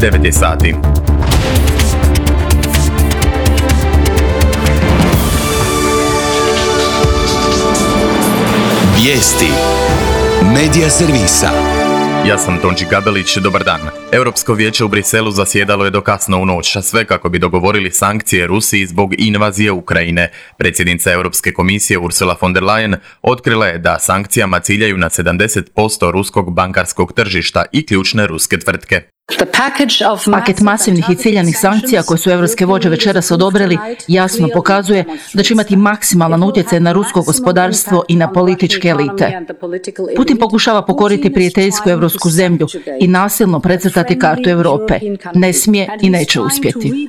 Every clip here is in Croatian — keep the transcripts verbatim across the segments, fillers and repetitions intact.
devet je sati. Vijesti Medija servisa. Ja sam Tonči Gabelić, dobar dan. Europsko vijeće u Briselu zasjedalo je do kasno u noć, a sve kako bi dogovorili sankcije Rusiji zbog invazije Ukrajine. Predsjednica Europske komisije Ursula von der Leyen otkrila je da sankcijama ciljaju na sedamdeset posto ruskog bankarskog tržišta i ključne ruske tvrtke. Paket masivnih i ciljanih sankcija koje su europske vođe večeras odobrili jasno pokazuje da će imati maksimalan utjecaj na rusko gospodarstvo i na političke elite. Putin pokušava pokoriti prijateljsku europsku zemlju i nasilno precrtati kartu Europe. Ne smije i neće uspjeti.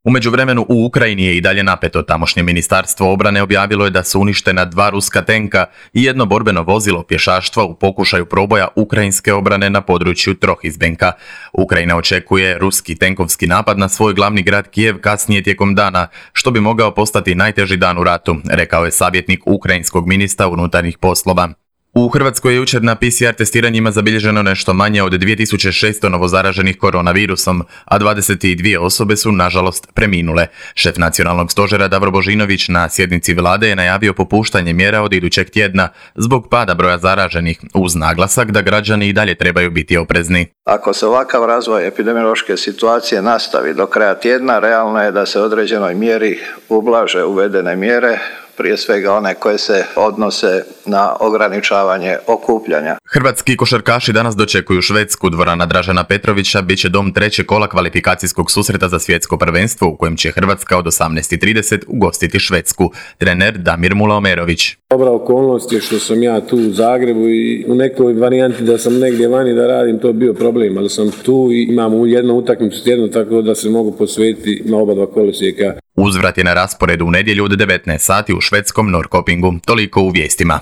U međuvremenu u Ukrajini je i dalje napeto. Tamošnje ministarstvo obrane objavilo je da su uništena dva ruska tenka i jedno borbeno vozilo pješaštva u pokušaju proboja ukrajinske obrane na području Trohizbenka. Ukrajina očekuje ruski tenkovski napad na svoj glavni grad Kijev kasnije tijekom dana, što bi mogao postati najteži dan u ratu, rekao je savjetnik ukrajinskog ministra unutarnjih poslova. U Hrvatskoj je jučer na P C R testiranjima zabilježeno nešto manje od dvije tisuće šesto novozaraženih koronavirusom, a dvadeset dvije osobe su, nažalost, preminule. Šef nacionalnog stožera Davor Božinović na sjednici vlade je najavio popuštanje mjera od idućeg tjedna zbog pada broja zaraženih, uz naglasak da građani i dalje trebaju biti oprezni. Ako se ovakav razvoj epidemiološke situacije nastavi do kraja tjedna, realno je da se određenoj mjeri ublaže uvedene mjere, prije svega one koje se odnose na ograničavanje okupljanja. Hrvatski košarkaši danas dočekuju Švedsku. Dvorana Dražena Petrovića bit će dom trećeg kola kvalifikacijskog susreta za svjetsko prvenstvo u kojem će Hrvatska od osamnaest i trideset ugostiti Švedsku. Trener Damir Mulaomerović. Dobra okolnost je što sam ja tu u Zagrebu i u nekoj varijanti da sam negdje vani da radim, to je bio problem, ali sam tu i imam jednu utakmicu tjedno tako da se mogu posvetiti na oba dva kolosijeka. Uzvrat je na rasporedu u nedjelju od devetnaest sati u švedskom Norrköpingu. Toliko u vijestima.